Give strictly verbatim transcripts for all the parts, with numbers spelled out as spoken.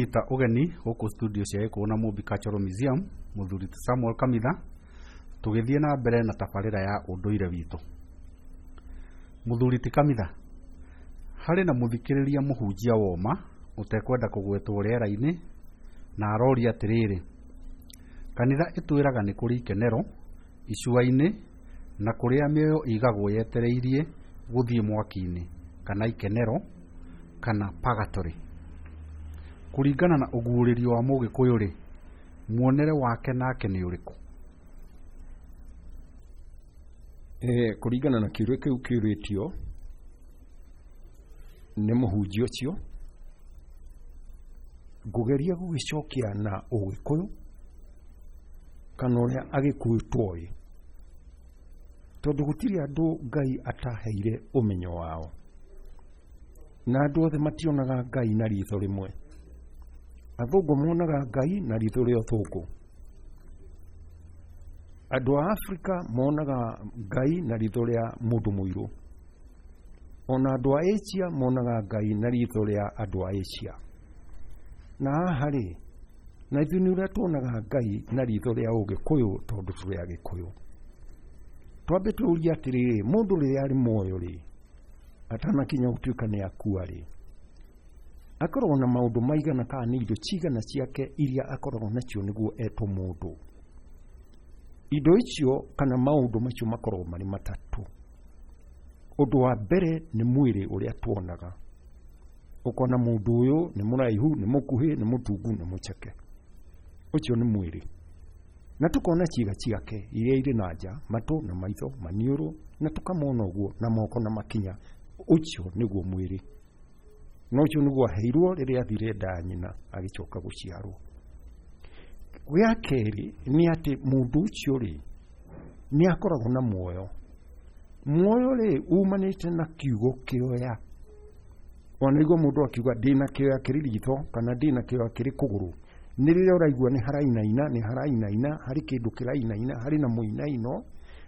Nyita ũgeni gũkũ studio cia Gĩkũyũ na Mũmbi Cultural Museum, mũthuri ti Samuel Kamitha, tũgĩthiĩ na mbere na tabarĩra ya ũndũire witũ. Mũthuri ti Kamitha, harĩ na mũthikĩrĩria mũhunjia woma ũtekwenda kũgwetwo rĩera-inĩ na aroria atĩrĩrĩ, kanitha ĩtwĩraga nĩ kũrĩ ikenero, icua-inĩ na kũrĩa mĩoyo ĩigagwo yetereirie gũthiĩ mwaki-inĩ kana ikenero kana purgatory. Kũringana na ũguũrĩrio wa mũgĩkũyũ-rĩ, muonere wake nake nĩ ũrĩkũ? Eh, kũringana na kĩũria kĩu kĩũrĩtio nĩ mũhunjia ũcio, ngũgeria gũgĩcokia na ũgĩkũyũ kana ũrĩa agĩkũyũ twoĩ, tondũ gũtirĩ andũ Ngai ataheire ũmenyo wao, na andũ othe mationaga Ngai na ritho rĩmwe. Athũngũ monaga Ngai na ritho rĩa ũthũngũ, andũ a Afrika monaga Ngai na ritho rĩa mũndũ mũirũ, ona andũ a Asia monaga Ngai na ritho rĩa andũ a Asia. Na haha rĩ, na ithuĩ nĩ ũrĩa tuonaga Ngai na ritho rĩa ũgĩkũyũ tondũ tũrĩ agĩkũyũ. Twambe tũrie atĩrĩrĩ, mũndũ rĩrĩa arĩ muoyo rĩ, atanakinya gũtuĩka nĩ akua rĩ, akoragwo na maũndũ maigana kana nĩ indo cigana ciake iria akoragwo nacio nĩguo etwo mũndũ. Indo icio kana maũndũ macio makoragwo marĩ matatũ. Ũndũ wa mbere nĩ mwĩrĩ ũrĩa tuonaga, ũkona mũndũ ũyũ nĩ mũraihu, nĩ mũkuhĩ, nĩ mũtungu, nĩ mũceke, ũcio nĩ mwĩrĩ. Na tukona ciĩga ciake iria irĩ na nja, matũ na maitho, maniũrũ, na tũkamona ũguo, na moko na makinya, ũcio nĩguo mwĩrĩ. Na ũcio nĩguo aheirwo rĩrĩa athire nda ya nyina agĩcoka gũciarwo. Gĩa kerĩ nĩ atĩ mũndũ ũcio rĩ, nĩ akoragwo na muoyo. Muoyo rĩ umanĩte na kiugo kĩoya. Wanaigua mũndũ akiuga ndĩna kĩoya kĩrĩ ritho kana ndĩna kĩoya kĩrĩ kũgũrũ, nĩ rĩrĩa ũraigua nĩ harainaina, nĩ harainaina, harĩ kĩndũ kĩrainaina, harĩ na mũinaino,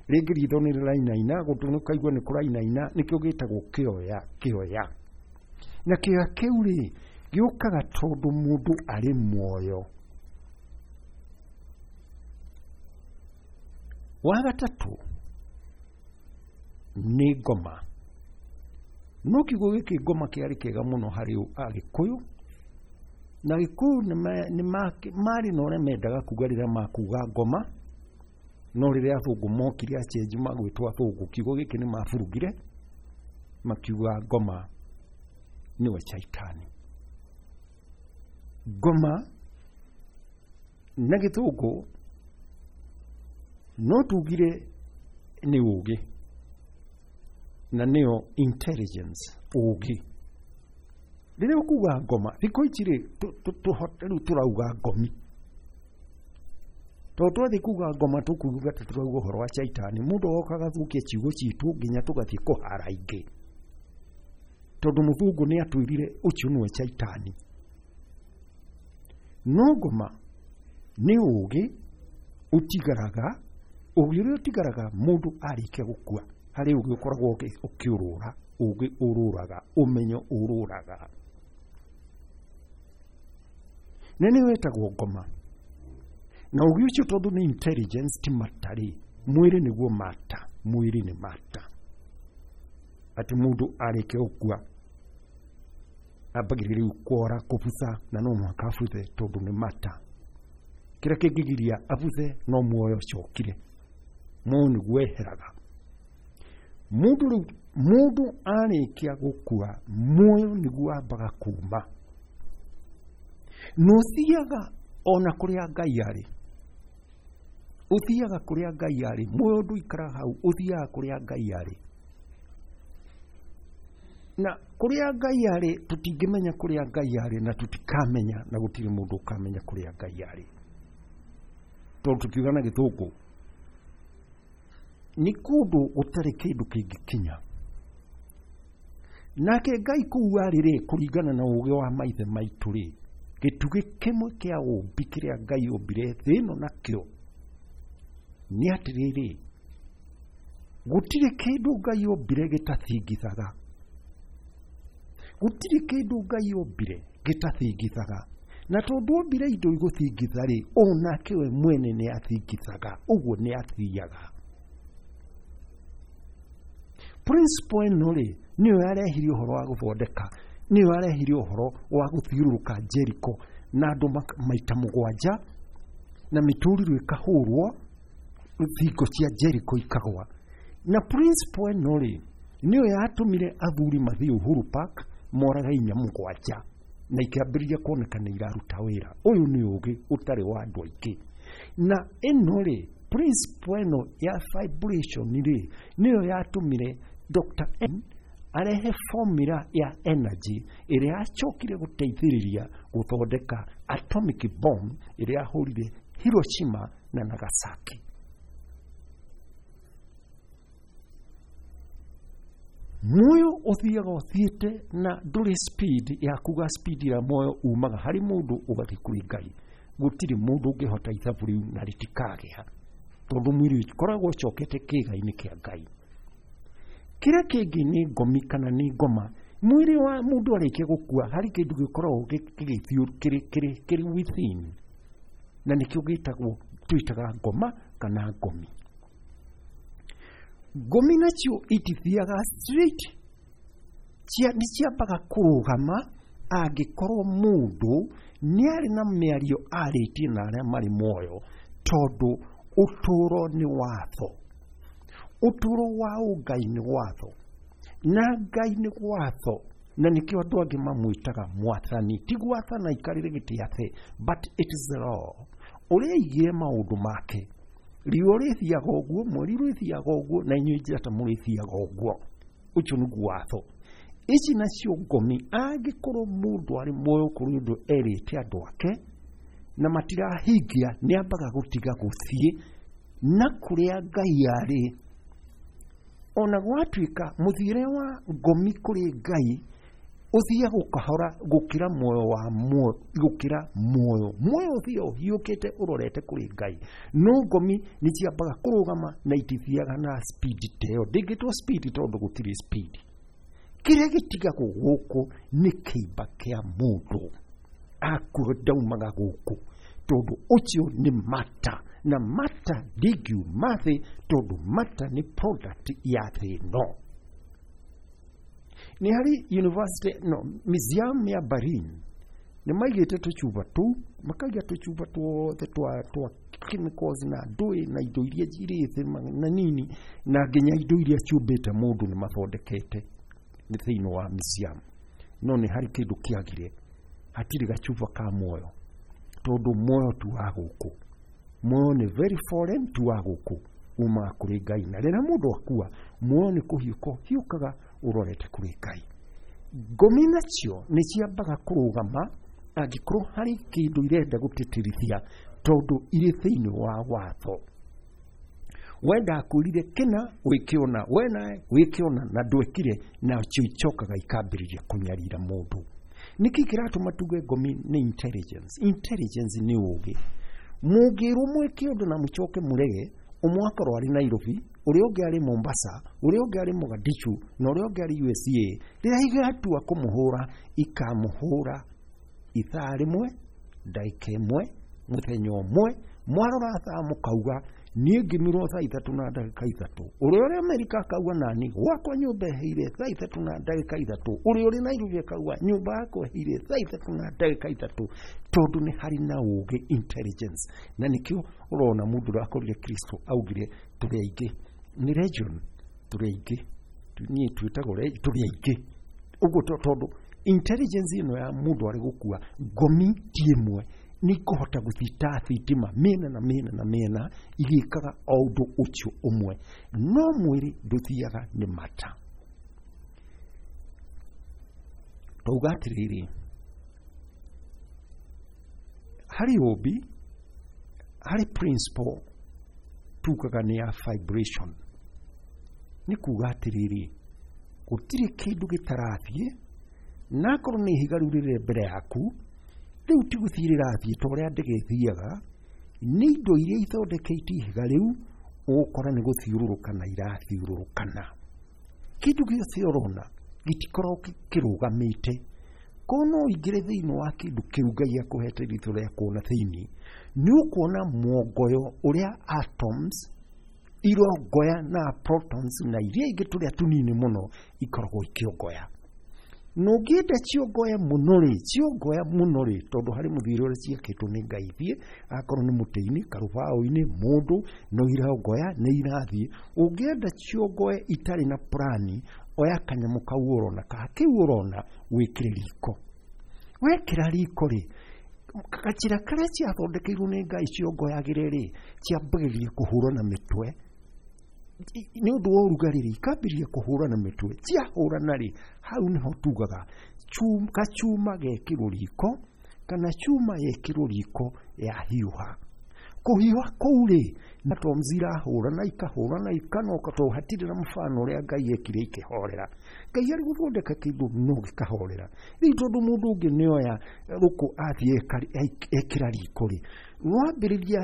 rĩngĩ ritho nĩ rĩrainaina, gũtũ nĩ ũkaigua nĩ kũrainaina, nĩkĩo gĩtagwo kĩoya, kĩoya. Na kĩoya kĩu rĩ, gĩũkaga tondũ mũndũ arĩ muoyo. Wa gatatũ nĩ ngoma. No kiugo gĩkĩ ngoma kĩarĩ kĩega mũno harĩ agĩkũyũ, na agĩkũyũ nĩ marĩ na ũrĩa mendaga kuga rĩrĩa makuga ngoma, no rĩrĩa athũngũ mokire achenji magwĩtwo athũngũ, kiugo gĩkĩ nĩ maburugire makiuga ngoma nĩwe caitani. Ngoma na gĩthũngũ no tugire nĩ ũgĩ, na nĩyo intelligence, ũgĩ. Rĩrĩa ũkuga ngoma, thikũ ici rĩ, rĩu tũrauga ngomi, tondũ twathiĩ kuga ngoma tũkuga atĩ tũrauga ũhoro wa caitani, mũndũ agoka agathũkia ciugo citũ nginya tũgathiĩ kũhara ingĩ, tondũ mũthũngũ nĩ atwĩrire ũcio nĩwe caitani. No ngoma nĩ ũgĩ ũtigaraga, ũgĩ ũrĩa ũtigaraga mũndũ arĩkia gũkua, harĩ ũgĩ ũkoragwo ũkĩũrũra, ũgĩ ũrũraga, ũmenyo ũrũraga, na nĩ wetagwo ngoma. Na ũgĩ ũcio tondũ nĩ intelligence ti matarĩ, mwĩrĩ nĩguo mata, mwĩrĩ nĩ mata, atĩ mũndũ arĩkia gũkua ambagĩrĩria rĩu kwora kũbutha, na no mũhaka abuthe tondũ nĩ mata. Kĩrĩa kĩngĩgiria abuthe no muoyo ũcokire, muoyo nĩguo weheraga. Mũndũ rĩu, mũndũ arĩkia gũkua, muoyo nĩguo ambaga kuma, na ũthiaga ona kũrĩa Ngai arĩ, ũthiaga kũrĩa Ngai arĩ, muoyo ndũikaraga hau, ũthiaga kũrĩa Ngai arĩ. Na kũrĩa Ngai arĩ tũtingĩmenya kũrĩa Ngai arĩ, na tũtikamenya, na gũtirĩ mũndũ ũkamenya kũrĩa Ngai arĩ, tondũ tũkiuga na gĩthũngũ nĩ kũndũ gũtarĩ kĩndũ kĩngĩkinya. Nake Ngai kũu arĩ rĩ, kũringana na ũgĩ wa maithe maitũ rĩ, gĩtugĩ kĩmwe kĩa ũmbi kĩrĩa Ngai ombire thĩ ĩno nakĩo nĩ atĩrĩrĩ, gũtirĩ kĩndũ Ngai ombire gĩtathingithaga, gũtirĩ kĩndũ Ngai ombire gĩtathingithaga. Na tondũ ombire indo igũthingitha rĩ, onake we mwene nĩ athingithaga, ũguo nĩ athiaga. Principle ĩno rĩ, nĩyo yarehire ũhoro wa gũthondeka, nĩyo yarehire ũhoro wa gũthiũrũrũka Jericho na andũ maita mũgwanja, na mĩtũrirũ ĩkahũrwo, thingo cia Jericho ikagwa. Na principle ĩno rĩ, nĩyo yatũmire athuri mathiĩ Uhuru Park morage inya mũgwanja, na ikĩambĩrĩria kuoneka nĩ iraruta wĩra. Ũyũ nĩ ũgĩ ũtarĩ wa andũ aingĩ. Na ĩno rĩ, principle ĩno ya vibration rĩ, nĩyo yatũmire Doctor N arehe formula ya energy ĩrĩa yacokire gũteithĩrĩria gũthondeka atomic bomb ĩrĩa yahũrire Hiroshima na Nagasaki. Muoyo ũthiaga ũthiĩte na ndũrĩ speed ya kuga speed ya muoyo umaga harĩ mũndũ ũgathiĩ kũrĩ Ngai. Gũtirĩ mũndũ ũngĩhota ithabu rĩu na rĩtikagĩa, tondũ mwĩrĩ ũkoragwo ũcokete kĩĩga-inĩ kĩa Ngai. Kĩrĩa kĩngĩ nĩ ngomi kana nĩ ngoma. Mwĩrĩ wa mũndũ arĩkia gũkua harĩ kĩndũ gĩkoragwo gĩgĩthiũ kĩrĩ kĩrĩ kĩrĩ within, na nĩkĩo gĩtagwo twĩtaga ngoma kana ngomi. Ngomi nacio itithiaga straight, nĩ ciambaga kũrũgama angĩkorwo mũndũ nĩ arĩ na mĩario arĩtie na arĩa marĩ muoyo, tondũ ũtũũro nĩ watho. Ũtũũro wa ũngai nĩ watho, na Ngai nĩ watho, na nĩkĩo andũ angĩ mamwĩtaga mwathani. Ti gwathana aikarĩre gĩtĩ atĩ, but it is the law. Ũrĩa aigire maũndũ make, riũa rĩthiaga ũguo, mweri rĩthiaga ũguo, na inyuĩ njata mũrĩthiaga ũguo. Ũcio nĩguo watho. Ici nacio ngomi, angĩkorwo mũndũ arĩ muoyo kũrĩ ũndũ erĩte andũ ake na matirahingia, nĩ ambaga gũtiga gũthiĩ na kũrĩa Ngai arĩ. Ona gwatuĩka mũthiĩre wa ngomi kũrĩ Ngai ũthiaga ũkahora gũkĩra muoyo wa muoyo, gũkĩra muoyo. Muoyo ũthiaga ũhiũkĩte ũrorete kũrĩ Ngai, no ngomi nĩ ciambaga kũrũgama na itithiaga na speed ta ĩyo. Ndĩngĩtwo speed tondũ gũtirĩ speed. Kĩrĩa gĩtigagwo gũkũ nĩ kĩimba kĩa mũndũ. Akua ndaumaga gũkũ, tondũ ũcio nĩ mata, na mata ndĩngiuma thĩ, tondũ mata nĩ product ya thĩ ĩno. Nĩ harĩ university, no, museum ya Berlin, nĩ maigĩte tũcuba tũu, makaiga tũcuba tuothe twa twa chemicals na ndũĩ na indo iria irĩ thĩ na nini, na nginya indo iria ciũmbĩte mũndũ nĩ mathondekete nĩ thĩinĩ wa museum. No nĩ harĩ kĩndũ kĩagire, hatirĩ gacuba ka muoyo, tondũ muoyo ti wa gũkũ. Muoyo nĩ very foreign, ti wa gũkũ, umaga kũrĩ Ngai. Na rĩrĩa mũndũ akua, muoyo nĩ kũhiũka ũhiũkaga ũrorete kũrĩ Ngai. Ngomi nacio nĩ ciambaga kũrũgama angĩkorwo harĩ kĩndũ irenda gũtĩtĩrithia, tondũ irĩ thĩinĩ wa watho. We ndakwĩrire kĩna wĩke ũna, we nawe wĩke ũna, na ndwĩkire, nacio icokaga ikambĩrĩria kũnyarira mũndũ. Nĩkĩ kĩratũma tuge ngomi nĩ intelligence? Intelligence nĩ ũgĩ. Mũngĩrwo mwĩke ũndũ na mũcoke mũrege, ũmwe akorwo arĩ Nairobi, ũrĩa ũngĩ arĩ Mombasa, ũrĩa ũngĩ arĩ Mogadishu, na ũrĩa ũngĩ arĩ U S A, rĩrĩa igatua kũmũhũra, ikamũhũra ithaa rĩmwe, ndagĩka ĩmwe, mũthenya ũmwe, mwarora thaa mũkauga niĩ ngĩmirwo thaa ithatũ na ndagĩka ithatũ. Ũrĩa ũrĩ Amerika akauga nani gwakwa nyũmba ĩhĩire thaa ithatũ na ndagĩka ithatũ. Ũrĩa ũrĩ Nairobi akauga nyũmba yakwa ĩhĩire thaa ithatũ na ndagĩka ithatũ, tondũ nĩ harĩ na ũgĩ, intelligence. Na nĩkĩo ũrona mũndũ ũrakorire Kristo augire tũrĩ aingĩ, nĩ region, tũrĩ aingĩ, niĩ twĩtagwo tũrĩ aingĩ ũguo, tondũ intelligence ĩno ya mũndũ arĩ gũkua, ngomi ti ĩmwe, nĩ ikũhota gũthiĩ ta thitima mĩena na mĩena na mĩena igĩkaga o ũndũ ũcio ũmwe, no mwĩrĩ ndũthiaga nĩ mata. Twauga atĩrĩrĩ, harĩ ũmbi, harĩ principle tugaga nĩ ya vibration. Nĩ kuga atĩrĩrĩ, gũtirĩ kĩndũ gĩtarathiĩ, na akorwo nĩ ihiga rĩu rĩrĩ mbere yaku, rĩu ti gũthiĩ rĩrathiĩ ta ũrĩa ndege ĩthiaga, nĩ indo iria ithondekete ihiga rĩu ũgũkora nĩ gũthiũrũrũkana irathiũrũrũkana. Kĩndũ gĩothe ũrona gĩtikoragwo kĩrũgamĩte. Ko no ũingĩre thĩinĩ wa kĩndũ kĩu Ngai akũhete ritho rĩa kuona thĩinĩ, nĩ ũkuona mwongoyo ũrĩa atoms irongoya na protons na iria ingĩ tũrĩa tũnini mũno ikoragwo ikĩongoya. Na ũngĩenda ciongoye mũno rĩ, ciongoya mũno rĩ, tondũ harĩ mũthiĩre ũrĩa ciakĩtwo nĩ Ngai ithiĩ, akorwo nĩ mũtĩ-inĩ, karũbaũ-inĩ, mũndũ, no irongoya nĩ irathiĩ. Ũngĩenda ciongoye itarĩ na plani, oya kanyamũ kau ũrona, ka kĩu ũrona wĩkĩre riko. Wekĩra riko rĩ, gacĩra karĩa ciathondekeirwo nĩ Ngai ciongoyagĩre rĩ, ciambagĩrĩria kũhũrana mĩtwe. Nĩ ũndũ wa ũrugarĩ rĩ, ikambĩrĩria kũhũrana mĩtwe. Ciahũrana rĩ, hau nĩho tugaga gacuma gekĩrwo riko kana cuma yekĩrwo riko yahiũha. Kũhiũha kũu rĩ, atoms irahũrana ikahũrana ikanoka, tondũ hatirĩ na mũbano ũrĩa Ngai ekire ikĩhorera. Ngai arĩ gũthondeka kĩndũ no gĩkahorera. Rĩu tondũ mũndũ ũngĩ nĩoya rũkũ athiĩ ekĩra riko rĩ, wambĩrĩria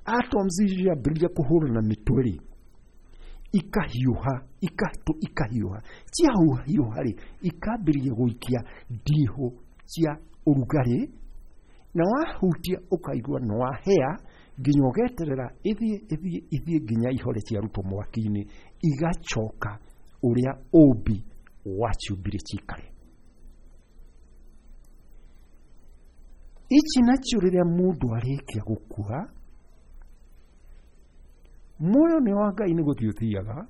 atoms ciambĩrĩria kũhũrana mĩtwe rĩ, ikahiũha, ikahiũha. Ciahiũha rĩ, ikambĩrĩria gũikia ndihũ cia ũrugarĩ, na wahutia ũkaigua nĩ wahĩa, nginya ũgeterera ĩthiĩ ĩthiĩ ĩthiĩ nginya ihore ciarutwo mwaki-inĩ, igacoka ũrĩa ũmbi waciũmbire cikare. Ici nacio rĩrĩa mũndũ arĩkia gũkua, muoyo nĩ wa Ngai nĩ gũthiĩ ũthiaga,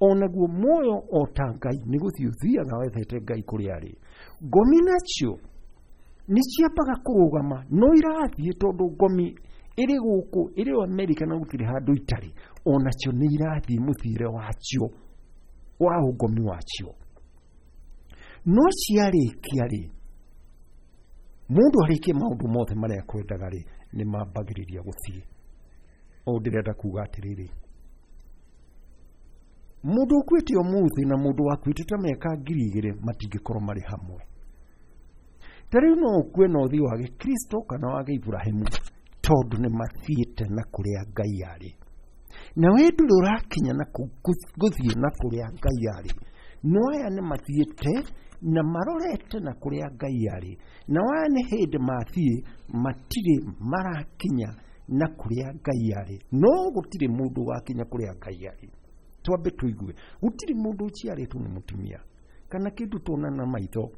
onaguo muoyo o ta Ngai nĩ gũthiĩ ũthiaga wethete Ngai kũrĩa arĩ. Ngomi nacio nĩ ciambaga kũrũgama, no irathiĩ tondũ ngomi ĩrĩ gũkũ, ĩrĩ o Amerika na gũtirĩ handũ itarĩ, onacio nĩ irathiĩ mũthiĩre wacio wa ũngomi wacio. No ciarĩkia rĩ, mũndũ arĩkie maũndũ mothe marĩa akwendaga rĩ, nĩ mambagĩrĩria gũthiĩ. Ũũ ndĩrenda kuga atĩrĩrĩ, mũndũ ũkuĩte ũmũthĩ na mũndũ wakuĩte ta mĩaka ngiri igĩrĩ matingĩkorwo marĩ hamwe. Ta rĩu no ũkue na ũthiĩ wa gĩkristo kana wa gĩiburahĩmu, tondũ nĩ mathiĩte na kũrĩa Ngai arĩ. Na we ndũrĩ ũrakinya na gũthiĩ na kũrĩa Ngai arĩ. No aya nĩ mathiĩte na marorete na kũrĩa Ngai arĩ. Na aya nĩ hĩndĩ mathiĩ matirĩ marakinya na kũrĩa Ngai arĩ. No gũtirĩ mũndũ wakinya kũrĩa Ngai arĩ. Twambe tũigue, gũtirĩ mũndũ ũciarĩtwo nĩ mũtumia kana kĩndũ tuona na maitho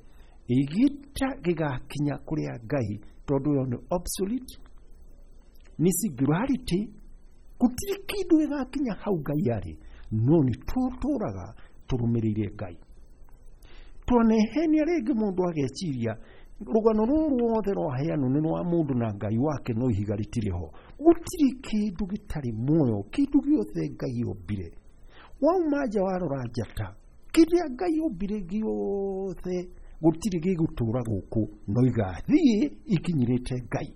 ĩgĩta gĩgakinya kũrĩa Ngai, tondũ ĩyo nĩ obsolete, nĩ singularity. Gũtirĩ kĩndũ gĩgakinya hau Ngai arĩ, no nĩ tũtũraga tũrũmĩrĩire Ngai. Twanehenia rĩngĩ mũndũ ageciria rũgano rũrũ ruothe rwaheanwo nĩ rwa mũndũ na Ngai wake, no ihiga rĩtirĩ ho. Gũtirĩ kĩndũ gĩtarĩ muoyo, kĩndũ gĩothe Ngai ombire. Wauma nja warora njata, kĩrĩa Ngai ombire gĩothe gũtirĩ gĩgũtũra gũkũ, no igathiĩ ikinyĩrĩte Ngai.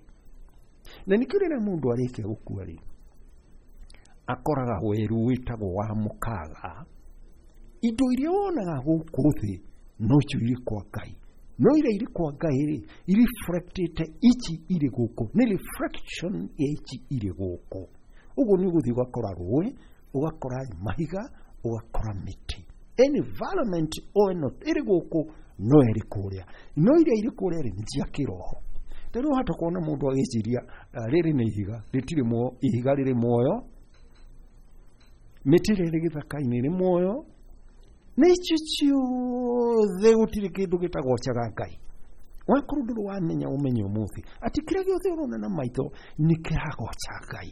Na nĩkĩo rĩrĩa mũndũ arĩkia gũkua rĩ, akoraga werũ wĩtagwo wa mũkaga. Indo iria wonaga gũkũ thĩ nocio irĩ kwa Ngai, no iria irĩ kwa Ngai rĩ, ireflectĩte ici irĩ gũkũ, nĩ reflection ya ici irĩ gũkũ. Ũguo nĩ ũgũthiĩ ũgakora rũĩ, ũgakora mahiga, ũgakora mĩtĩ. Environment o ĩno ĩrĩ gũkũ no ĩrĩ kũrĩa, no iria irĩ kũrĩa rĩ, nĩ cia kĩroho. Ta rĩu hata kuona mũndũ agĩciria rĩrĩ nĩ ihiga, rĩtirĩ muoyo, ihiga rĩrĩ muoyo, mĩtĩ ĩrĩa ĩrĩ gĩthaka-inĩ ĩrĩ muoyo, na icio ciothe gũtirĩ kĩndũ gĩtagocaga Ngai. Wakorwo ndũrĩ wamenya ũmenye ũmũthĩ atĩ kĩrĩa gĩothe ũrona na maitho nĩ kĩragoca Ngai.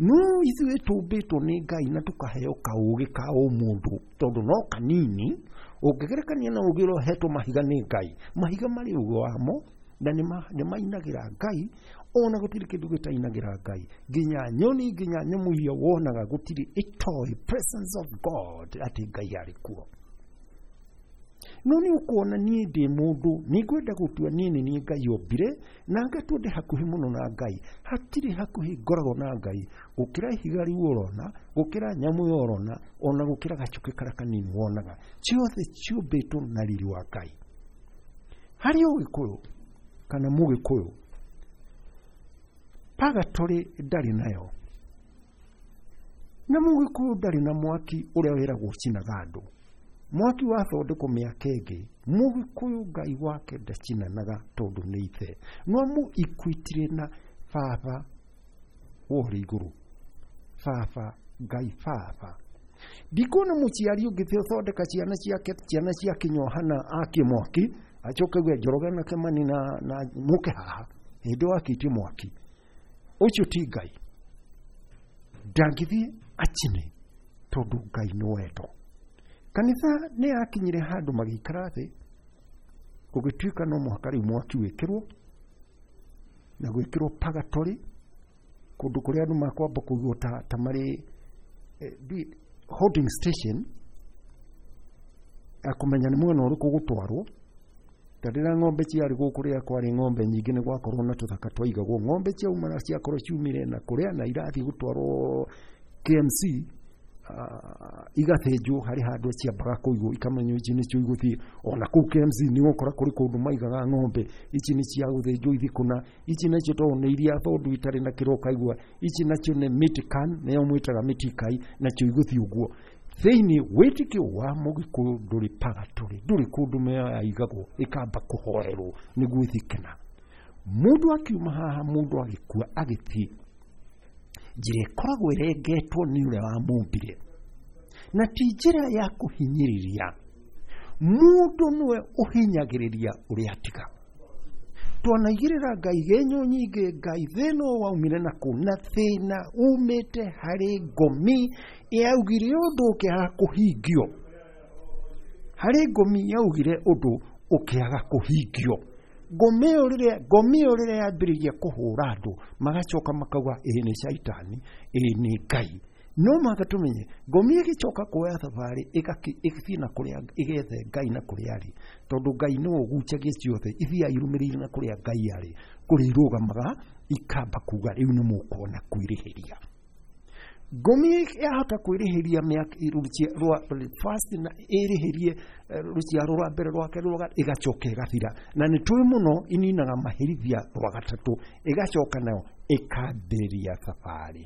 No ithuĩ tũmbĩtwo nĩ Ngai na tũkaheo kaũgĩ ka ũmũndũ, tondũ no kanini ũngĩgerekania na ũgĩ ũrĩa ũhetwo mahiga nĩ Ngai. Mahiga marĩ ũgĩ wamo na nĩ mainagĩra Ngai, ona gũtirĩ kĩndũ gĩtainagĩra Ngai. Nginya nyoni, nginya nyamũ iria wonaga gũtirĩ ĩtoĩ presence of God, atĩ Ngai arĩ kuo. No nĩ ũkuona niĩ ndĩ mũndũ, nĩ ngwenda gũtua niĩ nĩ niĩ Ngai ombire, na ngatua ndĩ hakuhĩ mũno na Ngai. Hatirĩ hakuhĩ ngoragwo na Ngai gũkĩra ihiga rĩu ũrona, gũkĩra nyamũ ĩyo ũrona, ona gũkĩra gacũkĩ karĩa kanini wonaga. Ciothe ciũmbĩtwo na riri wa Ngai. Harĩ Ũgĩkũyũ kana Mũgĩkũyũ, purgatory ndarĩ nayo, na Mũgĩkũyũ ndarĩ na mwaki ũrĩa wĩragwo ũcinaga andũ. Mwaki wathondekwo mĩaka ĩngĩ, Mũgĩkũyũ Ngai wake ndacinanaga tondũ nĩ ithe. No mu equate na baba worĩ igũrũ, baba Ngai baba. Ndikuona mũciari ũngĩthondeka ciana ciake ciana cia kĩnyohana akie mwaki acoke gwe Njoroge na Kĩmani na, na mũke haha hĩndĩ wakĩtie mwaki ũcio ti Ngai. Ndangĩthiĩ acine tondũ Ngai nĩ wendo. Kanitha nĩ yakinyire handũ magĩikara thĩ, gũgĩtuĩka no mũhaka rĩu mwaki wĩkĩrwo na gwĩkĩrwo purgatory, kũndũ kũrĩa andũ makwamba kũigwo ta, ta marĩ eh, holding station ya kũmenya nĩ mwena ũrĩkũ gũtwarwo. Ta rĩrĩa ng'ombe ciarĩ gũkũ rĩrĩa kwarĩ ng'ombe nyingĩ nĩ gwakorwo na tũthaka twaigagwo ng'ombe ciauma na ciakorwo ciumire na kũrĩa na irathiĩ gũtwarwo K M C, uh, igathĩnjwo harĩ handũ ciambaga kũigwo ikamenywo ici nĩcio igũthiĩ. Ona kũu K M C nĩ ũgũkora kũrĩ kũndũ maigaga ng'ombe ici nĩ cia gũthĩnjwo ithiĩ kũna, ici nacio tondũ nĩ iria thondu itarĩ na kĩro ũkaigua ici nacio nĩ mitikan, nĩyo mwĩtaga mitikai, nacio igũthiĩ ũguo. Thĩinĩ wĩtĩkio wa Mũgĩkũyũ ndũrĩ purgatory, ndũrĩ kũndũ mĩoyo yaigagwo ĩkamba kũhoerwo nĩguo ĩthikana. Mũndũ akiuma haha, mũndũ agĩkua agĩthiĩ, njĩra ĩkoragwo ĩrengetwo nĩ ũrĩa wamũmbire, na ti njĩra ya kũhinyĩrĩria. Mũndũ nĩwe ũhinyagĩrĩria ũrĩa atiga. Twanaigĩrĩra Ngai genyo nyingĩ, Ngai thĩna ũyũ waumire nakũ, na thĩna umĩte harĩ ngomi yaugire ũndũ ũkĩaga kũhingio. Harĩ ngomi yaugire ũndũ ũkĩaga kũhingio. Ngomi ĩyo rĩrĩa, ngomi ĩyo rĩrĩa yambĩrĩria kũhũra andũ, magacoka makauga ĩĩ nĩ caitani, ĩĩ nĩ Ngai. No mũhaka tũmenye ngomi ĩgĩcoka kuoya thabarĩ ĩgathiĩ na kũrĩa ĩgethe Ngai na kũrĩa arĩ, tondũ Ngai nĩwe ũgucagia ciothe, ithiaga irũmĩrĩire na kũrĩa Ngai arĩ, kũrĩa irũgamaga ikamba kuga rĩu nĩ mũkuona kwĩrĩhĩria. Ngomi yahota kwĩrĩhĩria mĩaka first na ĩrĩhĩrie rũciaro rwa mbere rwake rwa ĩgacoka ĩgathira, na nĩ tũĩ mũno ininaga maherithia rwa gatatũ, ĩgacoka nayo ĩkambĩrĩria thabarĩ.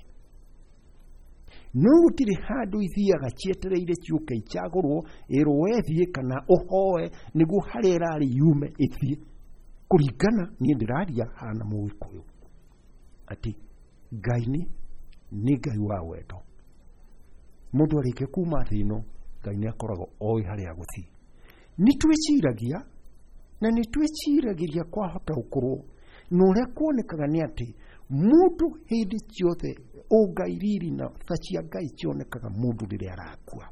No gũtirĩ handũ ithiaga cietereire ciũke icagũrwo ĩrwo wethiĩ kana ũhoe nĩguo harĩa ĩrarĩ yume ĩthiĩ. Kũringana niĩ ndĩraria hana Mũgĩkũyũ atĩ Ngai nĩ nĩ Ngai wa wendo. Mũndũ arĩkia kuma thĩ ĩno, Ngai nĩ akoragwo oĩ harĩa agũthiĩ. Nĩ twĩciragia na nĩ twĩciragĩria kwahota gũkorwo na ũrĩa kuonekaga nĩ atĩ mũndũ hĩndĩ ciothe ũngai riri na tha cia Ngai cionekaga mũndũ rĩrĩa arakua.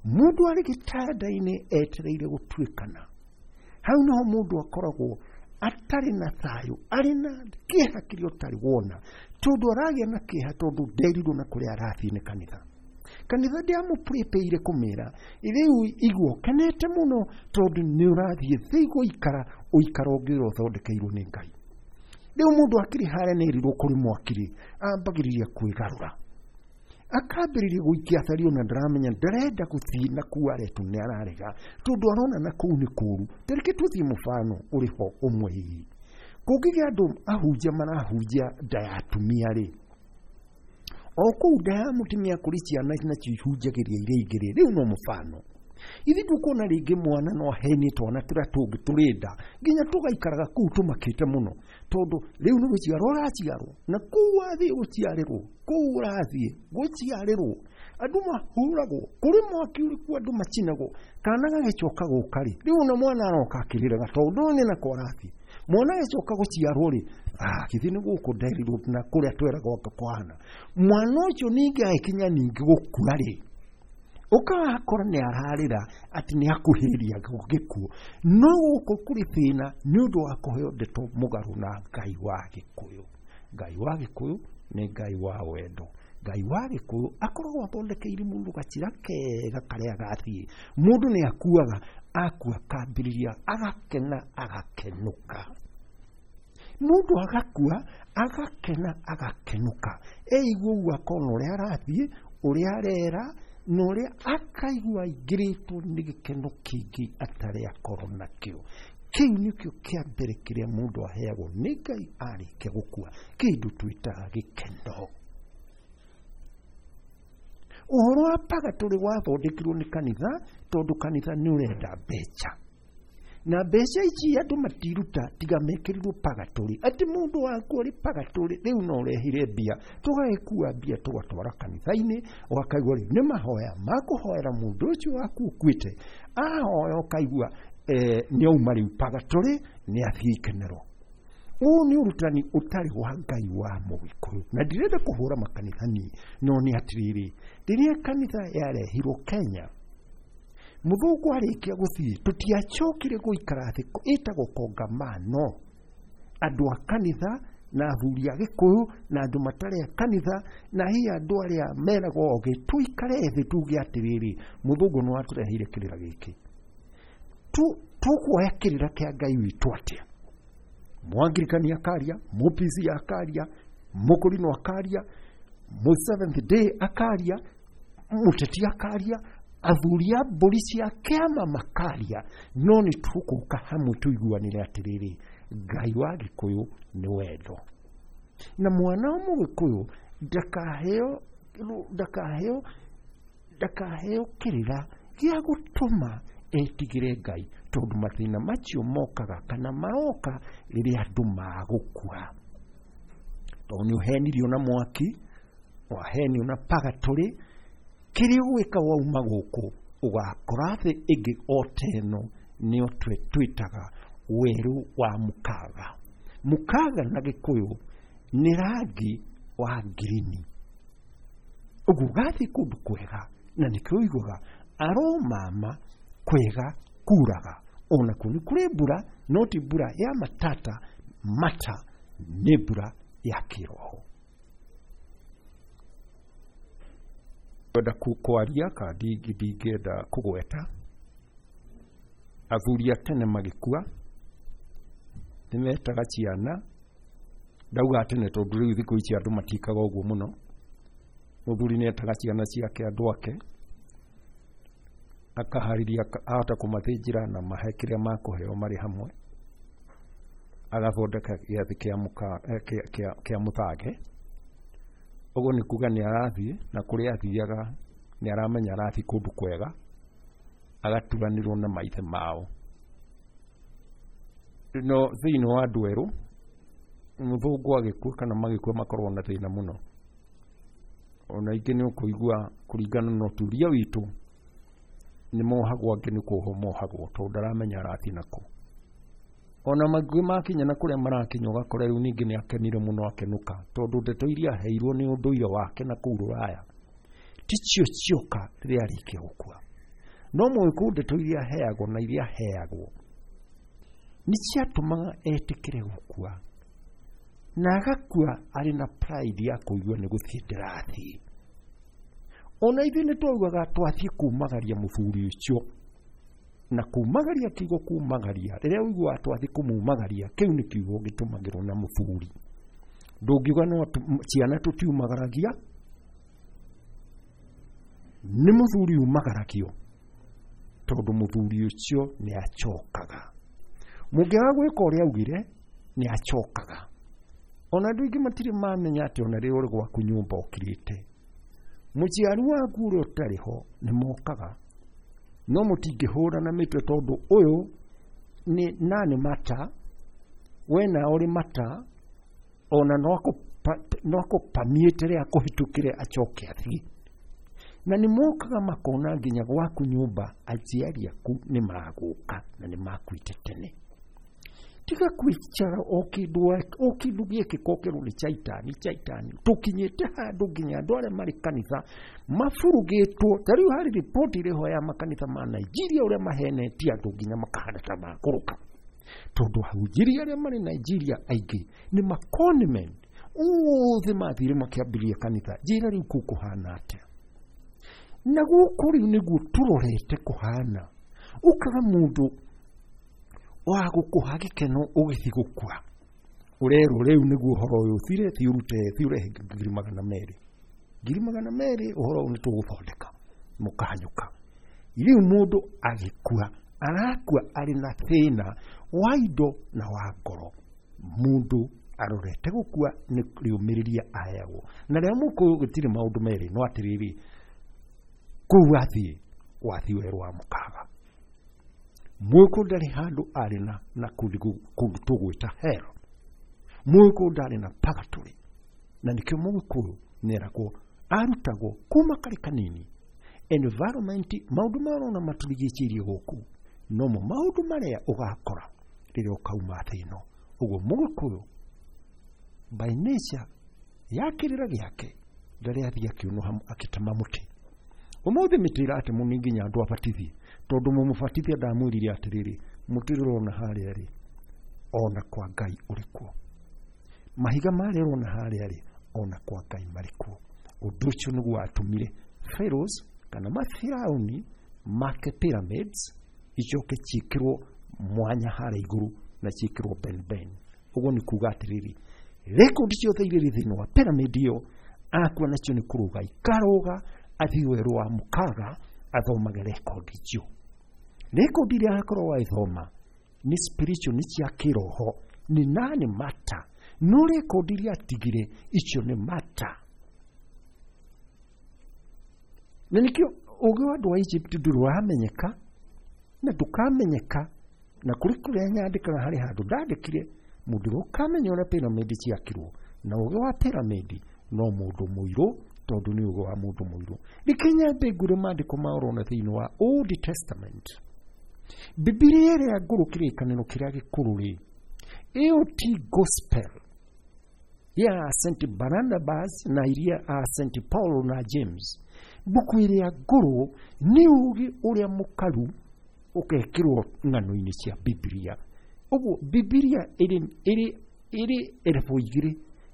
Mũndũ arĩ gĩtanda-inĩ etereire gũtuĩkana, hau niho mũndũ akoragwo atarĩ na thayũ, arĩ na kĩeha kĩrĩa ũtarĩ wona, tondũ aragĩa na kĩeha tondũ nderirwo na kũrĩa arathiĩ nĩ kanitha. Kanitha ndĩamũprĩpĩire kũmĩra rĩu igua ũkenete mũno tondũ nĩ ũrathiĩ thĩ gũikara ũikaro ũngĩ ũrĩa ũthondekeirwo nĩ Ngai. Rĩu mũndũ akĩrĩ harĩa nĩ erirwo kũrĩ mwaki-rĩ, ambagĩrĩria kwĩgarũra, akambĩrĩria gũikia thari ona ndaramenya ndarenda gũthiĩ na kũu aretwo nĩ ararega tondũ arona na kũu nĩ kũũru. Tareke tũthiĩ mũbano ũrĩ ho ũmwe hihi. Kũngĩgĩa andũ ahunjia marahunjia nda ya atumia rĩ, o kũu nda ya mũtumia kũrĩ ciana nacio ihunjagĩria iria ingĩ rĩ, rĩu no mũbano. Ithuĩ tũkuona rĩngĩ mwana no ahenie twana tũrĩa tũngĩ tũrĩ nda nginya tũgaikaraga kũu tũmakĩte mũno, tondũ rĩu nĩ gũciarwo ũraciarwo na kũu wathiĩ gũciarĩrwo, kũu ũrathiĩ gũciarĩrwo andũ mahũragwo, kũrĩ mwaki ũrĩkũ andũ macinagwo, kana gagĩcoka gũka rĩ, rĩu ona mwana aroka akĩrĩraga tondũ nĩ nako arathiĩ. Mwana agĩcoka gũciarwo rĩ, ah, githĩ nĩ gũkũ nderirwo na kũrĩa tweragwo anga kũhana. Mwana ũcio ningĩ agĩkinya ningĩ gũkua rĩ, ũkakora nĩ ararĩra atĩ nĩ akuhĩrĩria gĩkuũ. No gũkũ kũrĩ thĩna nĩ ũndũ wa kũheo ndeto mũgarũ na Ngai wa Gĩkũyũ. Ngai wa Gĩkũyũ nĩ Ngai wa wendo. Ngai wa Gĩkũyũ akoragwo athondekeire mũndũ gacĩra kega karĩa agathiĩ. Mũndũ nĩ akuaga, akua akambĩrĩria agakena agakenũka. Mũndũ agakua agakena agakenũka, eigua ũguo akona ũrĩa arathiĩ, ũrĩa arera, na ũrĩa akaigua aingĩrĩtwo nĩ gĩkeno kĩingĩ atarĩ akorwo nakĩo. Kĩu nĩkĩo kĩa mbere kĩrĩa mũndũ aheagwo nĩ Ngai arĩkia gũkua, kĩndũ twĩtaga gĩkeno. Ũhoro wa purgatory wathondekirwo nĩ kanitha tondũ kanitha nĩ ũrenda mbeca. Na mbeca ici andũ matiruta tiga mekĩrirwo purgatory. Atĩ mũndũ waku arĩ purgatory rĩu no ũrehire mbia, tũgagĩkua mbia tũgatwara kanitha-inĩ, ũgakaigua rĩu nĩ mahoya makũhoera mũndũ ũcio waku ũkuĩte. Ahoya ũkaigua eh, nĩ auma rĩu purgatory, nĩ athiĩ ikenero. Ũũ nĩ ũrutani ũtarĩ wa Ngai wa Mũgĩkũyũ. Na ndirenda kũhũra makanitha niĩ, no nĩ atĩrĩrĩ, rĩrĩa kanitha yarehirwo Kenya, mũthũngũ arĩkia gũthiĩ, tũtiacokire gũikara thĩ, ĩtagwo kongamano. Andũ a kanitha na athuri a Gĩkũyũ na andũ matarĩ a kanitha na hihi andũ arĩa meragwo ogĩ, tũikare thĩ tuge atĩrĩrĩ, mũthũngũ nĩ watũreheire kĩrĩra gĩkĩ, tũkuoya kĩrĩra kĩa Ngai witũ atĩa? Mũangirikani akaria, Mũpc akaria, Mũkũrinũ akaria, Mũ Seventh Day akaria, Mũteti akaria, athuri a mbũri cia kĩama makaria, no nĩ tũgũka hamwe tũiguanĩre atĩrĩrĩ, Ngai wa Gĩkũyũ nĩ wendo. Na mwana wa Mũgĩkũyũ ndakaheo ndakaheo ndakaheo kĩrĩra gĩa gũtũma etigĩre Ngai, tondũ mathĩna macio mokaga kana maroka rĩrĩa andũ magũkua. Tondũ nĩ ũhenirio na mwaki, wahenio na purgatory, kĩrĩa ũgwĩka wauma gũkũ ũgakora thĩ ĩngĩ o ta ĩno, nĩyo twĩtaga werũ wa mũkaga. Mũkaga na Gĩkũyũ nĩ rangi wa ngirini. Ũguo ũgathiĩ kũndũ kwega, na nĩkĩo ũiguaga aromama kwega kuraga. Ona kuo nĩ kũrĩ mbura, no ti mbura ya matata mata, nĩ mbura ya kĩroho. Kwenda kwaria ka ndingĩenda kũgweta, athuri a tene magĩkua nĩ metaga ciana, ndauga tene tondũ rĩu thikũ ici andũ matikaga ũguo mũno. Mũthuri nĩ etaga ciana ciake andũ ake, akaharĩria ahota kũmathĩnjĩra na mahe kĩrĩa makũheo marĩ hamwe, agathondeka gĩathĩ kĩa kĩa mũthange. Ũguo nĩ kuga nĩ arathiĩ, na kũrĩa athiaga nĩ aramenya arathiĩ kũndũ kwega, agaturanĩrwo na maithe mao. No thĩinĩ wa andũ erũ, mũthũngũ agĩkua kana magĩkua makorwo na thĩna mũno. Ona ingĩ nĩ ũkũigua kũringana na ũtuĩria witũ, nĩ mohagwo, angĩ nĩ kuohwo mohagwo tondũ ndaramenya arathiĩ nakũ. Ona mangĩ makinya na kũrĩa marakinya ũgakora rĩu ningĩ nĩ akenire mũno akenũka, tondũ ndeto iria aheirwo nĩ ũndũire wake na kũu rũraya ti cio cioka rĩrĩa arĩkia gũkua. No Mũgĩkũyũ ndeto iria aheagwo na iria aheagwo nĩ ciatũmaga etĩkĩre gũkua, na agakua arĩ na pride ya kũigua nĩ gũthiĩ ndĩrathiĩ. Ona ithuĩ nĩ twaugaga twathiĩ kumagaria mũthuri ũcio, na kumagaria kiugo kumagaria, rĩrĩa ũiguaga twathiĩ kũmumagaria, kĩu nĩ kiugo gĩtũmagĩrwo na mũthuri. Ndũngiuga no ciana tũtiumagaragia, nĩ mũthuri umagaragio, tondũ mũthuri ũcio nĩ acokaga. Mũngĩaga gwĩka ũrĩa augire, nĩ acokaga. Ona andũ aingĩ matirĩ mamenya atĩ ona rĩrĩa ũrĩ gwaku nyũmba ũkirĩte, mũciari waku ũrĩa ũtarĩ ho nĩ mokaga, no mũtingĩhũrana mĩtwe tondũ ũyũ nĩ nani mata, we na ũrĩ mata, ona no akũpamiĩte rĩrĩa akũhĩtũkĩre acoke athiĩ. Na nĩ mokaga makona nginya gwaku nyũmba aciari aku nĩ magũka na nĩ makuĩte tene. Tiga kwĩcara o kĩndũ o kĩndũ gĩekĩka ũkerwo nĩ chaitani chaitani. Tũkinyĩte handũ nginya andũ arĩa marĩ kanitha maburugĩtwo. Ta rĩu harĩ riboti ĩrĩ ho ya makanitha ma Nigeria ũrĩa mahenetie andũ nginya makahana ta makũrũka, tondũ ahunjĩria arĩa marĩ Nigeria aingĩ nĩ maconmen othe mathire makĩambĩrĩria kanitha. Njĩra rĩu kũu kũhana atĩa? Na gũkũ rĩu nĩguo tũrorete kũhana, ũkaga mũndũ wa gũkũha gĩkeno ũgĩthiĩ gũkua, ũrerwo rĩu nĩguo ũhoro ũyũ ũthire, thiĩ ũrute, thiĩ ũrehe ngiri magana merĩ, ngiri magana merĩ, ũhoro ũyũ nĩ tũgũthondeka, mũkahanyũka. Rĩu mũndũ agĩkua arakua arĩ na thĩna wa indo na wa ngoro. Mũndũ arorete gũkua nĩ rĩũmĩrĩria aheagwo. Na rĩa Mũkũyũ gũtirĩ maũndũ merĩ, no atĩrĩrĩ, Kũu wathiĩ wathiĩ werũ wa mũkaga. Mũgĩkũyũ ndarĩ handũ arĩ na na kũndũ tũgwĩta hell. Mũgĩkũyũ ndarĩ na purgatory. Na nĩkĩo mũgĩkũyũ nĩeragwo arutagwo kuma karĩ kanini environment maũndũ marĩa ũrona matũrigicĩirie gũkũ nomo maũndũ marĩa ũgakora rĩrĩa ũkauma thĩ ĩno. Ũguo mũgĩkũyũ by nature ya kĩrĩra gĩake ndarĩ athiĩ akĩũnũha akĩtema mũtĩ. Ũmũthĩ mĩtĩ ĩratemwo nĩ nginya andũ abatithie, tondũ mũmũbatithia ndamwĩrire atĩrĩrĩ, mũtĩ ũrĩa ũrona harĩa rĩ, ona kwa Ngai ũrĩ kuo. Mahiga marĩa ũrona harĩa rĩ, ona kwa Ngai marĩ kuo. Ũndũ ũcio nĩguo watũmire pharaohs kana mafirauni make pyramids icoke ciĩkĩrwo mwanya harĩa igũrũ na ciĩkĩrwo ben ben. Ũguo nĩ kuga atĩrĩrĩ, rekondi ciothe iria irĩ thĩinĩ wa pyramid ĩyo akua nacio nĩ kũrũga ikarũga athiĩ werũ wa mũkaga athomage rekondi icio. Rekondi iria agakorwo agĩthoma nĩ spiritual, nĩ cia kĩroho, nĩ nani mata, no rekondi iria atigire icio nĩ mata. Na nĩkĩo ũgĩ wa andũ a Egypt ndũrĩ wamenyeka na ndũkamenyeka, na kũrĩ kũrĩa nyandĩkaga harĩ handũ ndandĩkire mũndũ ũrĩa ũkamenya ũrĩa pyramid ciakirwo na ũgĩ wa pyramid no mũndũ mũirũ, tondũ nĩ ũgĩ wa mũndũ mũirũ. Reke nyambe ngũre maandĩko ma ũrona thĩinĩ wa Old Testament. Bibilia ĩrĩa ngũrũ, kĩrĩkanĩro kĩrĩa gĩkũrũ rĩ, ĩyo ti gospel ya Saint Barnabas na iria a Saint Paul na James. Mbuku ĩrĩa ngũrũ nĩ ũgĩ ũrĩa mũkaru ũgekĩrwo ng'ano-inĩ cia Bibilia. Ũguo Bibilia ĩrĩ ĩrĩ ĩrĩ elfu igĩrĩ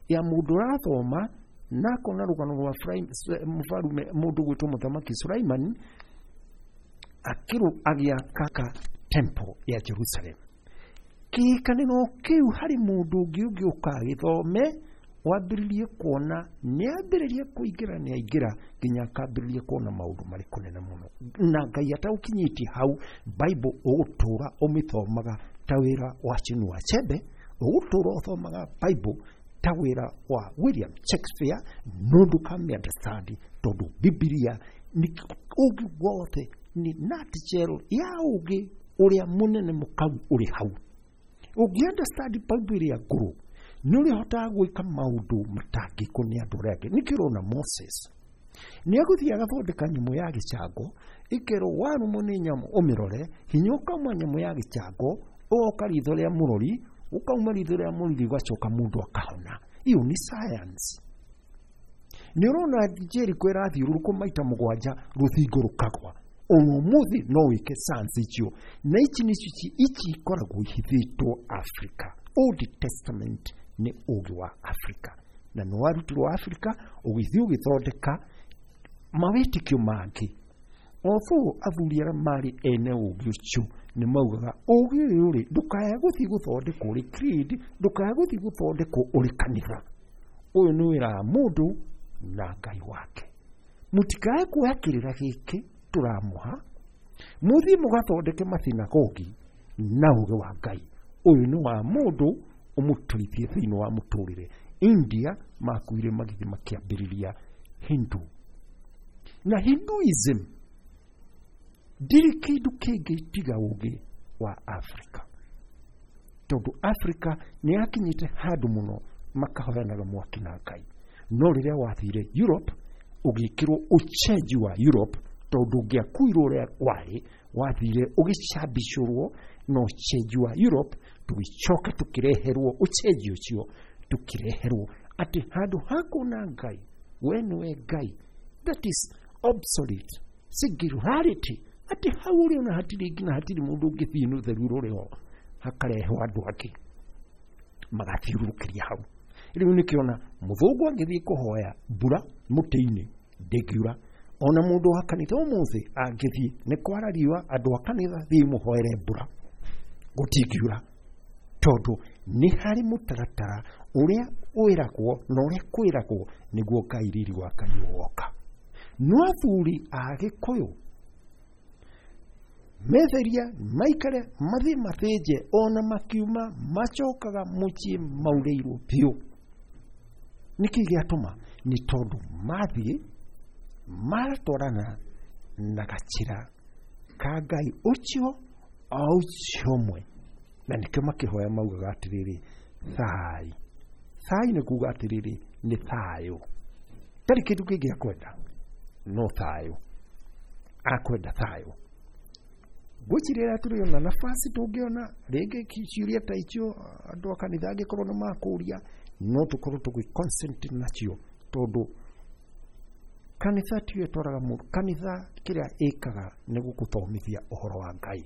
ya mũndũ ũrathoma na akona rũgano rwa mũfarume mũndũ gwĩtwo mũthamaki Sulaiman akĩrũ agĩaka temple ya Jerusalem. Kĩrĩkanĩro kĩu harĩ mũndũ ũngĩ ũngĩũka agĩthome wambĩrĩrie kuona nĩambĩrĩrie kũingĩra nĩaingĩra nginya akambĩrĩria kuona maũndũ marĩ kũnene mũno. Na Ngai ataũkinyĩtie hau, Bible ũgũtũra ũmĩthomaga ta wĩra wa Chinua Achebe, ũgũtũra ũthomaga Bible ta wĩra wa William Shakespeare, no ndũkamĩ understand tondũ Bibilia nĩ ũgĩ wothe, nĩ nutshell ya ũgĩ ũrĩa mũnene mũkau ũrĩ hau. Ũngĩ understand Bible ĩrĩa ngũrũ nĩ ũrĩhotaga gwĩka maũndũ matangĩkwo nĩ andũ arĩa angĩ. Nĩkĩo ũrona Moses nĩ egũthiĩ agathondeka nyamũ ya gĩcango, ĩkerwo warũmwo nĩ nyamũ ũmĩrore, hinya ũkauma nyamũ ya gĩcango, ũgoka ritho rĩa mũrori, ũkauma ritho rĩa mũrori ũgacoka mũndũ akahona. Iyo nĩ science. Nĩ ũrona Jericho ĩrathiũrũrũkwo maita mũgwanja rũthingo rũkagwa. Ona ũmũthĩ no wĩke science icio, na ici nĩcio ici ikoragwo ihithĩtwo Africa. Old Testament nĩ ũgĩ wa Africa na nĩ warutirwo Africa ũgĩthiĩ ũgĩthondeka mawĩtĩkio mangĩ. Although athuri arĩa marĩ ene ũgĩ ũcio nĩ maugaga ũgĩ ũyũ rĩ ndũkae gũthiĩ gũthondekwo ũrĩ creed, ndũkae gũthiĩ gũthondekwo ũrĩ kanitha. Ũyũ nĩ wĩra wa mũndũ na Ngai wake. Mũtikae kuoya kĩrĩra gĩkĩ tũramũha mũthiĩ mũgathondeke mathinagogi na ũgĩ wa Ngai. Ũyũ nĩ wa mũndũ ũmũteithie thĩinĩ wa mũtũrĩre. India makuire magĩthiĩ makĩambĩrĩria Hindu, na Hinduism ndirĩ kĩndũ kĩngĩ tiga ũgĩ wa Africa, tondũ Africa nĩ yakinyĩte handũ mũno makahoyanaga mwaki na Ngai. No rĩrĩa wathire Europe ũgĩkĩrwo ũcenji wa Europe, tondũ ũngĩakuirwo ũrĩa warĩ wathire ũgĩcambicũrwo na ũcenji wa Europe, tũgĩcoka tũkĩreherwo ũcenji ũcio, tũkĩreherwo atĩ handũ ha kuona Ngai we nĩwe Ngai, that is obsolete singularity, atĩ hau ũrĩ ona hatirĩ nginya hatirĩ mũndũ ũngĩthiĩ nĩ ũtheru ũrĩ ho, hakarehwo andũ angĩ magathiũrũrũkĩria hau. Rĩu nĩkĩona mũthũngũ angĩthiĩ kũhoya mbura mũtĩ-inĩ ndĩngiura. Ona mũndũ wa kanitha ũmũthĩ angĩthiĩ nĩ kwara riũa, andũ a kanitha thiĩ mũhoere mbura, gũtingiura, tondũ nĩ harĩ mũtaratara ũrĩa wĩragwo na ũrĩa kwĩragwo nĩguo Ngai riri wa Ngai ũgoka. No athuri a Gĩkũyũ metheria maikare mathiĩ mathĩnje, ona makiuma macokaga mũciĩ maurĩirwo biũ. Nĩkĩ gĩatũma? Nĩ tondũ mathiĩ maratwarana na gacĩra ka Ngai ũcio o ũcio ũmwe. Na nĩkĩo makĩhoya maugaga atĩrĩrĩ, thai. Thai nĩ kuga atĩrĩrĩ, nĩ thayũ, ndarĩ kĩndũ kĩngĩ akwenda no thayũ, akwenda thayũ. Ngwĩciria rĩrĩa tũrĩona nafasi tũngĩona rĩngĩ ciũria ta icio andũ a kanitha angĩkorwo nĩ makũria, no tũkorwo tũgĩ consent nacio, tondũ kanitha tiyo ĩtwaraga mũndũ. Kanitha kĩrĩa ĩkaga nĩ gũgũthomithia ũhoro wa Ngai,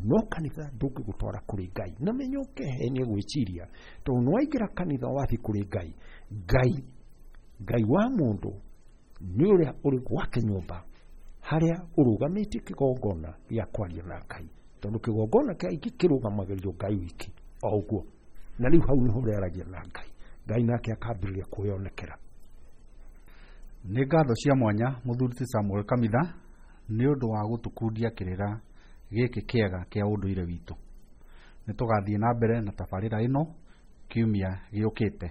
no kanitha ndũngĩgũtwara kũrĩ Ngai. Na menya ũkehenia gwĩciria, tondũ nĩ waingĩra kanitha wathiĩ kũrĩ Ngai, Ngai Ngai wa mũndũ nĩ ũrĩa ũrĩ gwake nyũmba harĩa ũrũgamĩtie kĩgongona gĩa kwaria na Ngai, tondũ kĩgongona kĩa kĩrũgamagĩrĩrio Ngai wiki o ũguo, na rĩu hau nĩho ũrĩaragia na Ngai, Ngai nake akambĩrĩria kwĩyonekera. Nĩ ngatho cia mwanya mũthuri ti Samuel Kamitha nĩ ũndũ wa gũtũkundia kĩrĩra gĩkĩ kĩega kĩa ũndũire witũ. Nĩ tũgathiĩ na mbere na tabarĩra ĩno kiumia gĩũkĩte.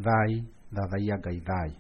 Thai, thathaiya Ngai thai.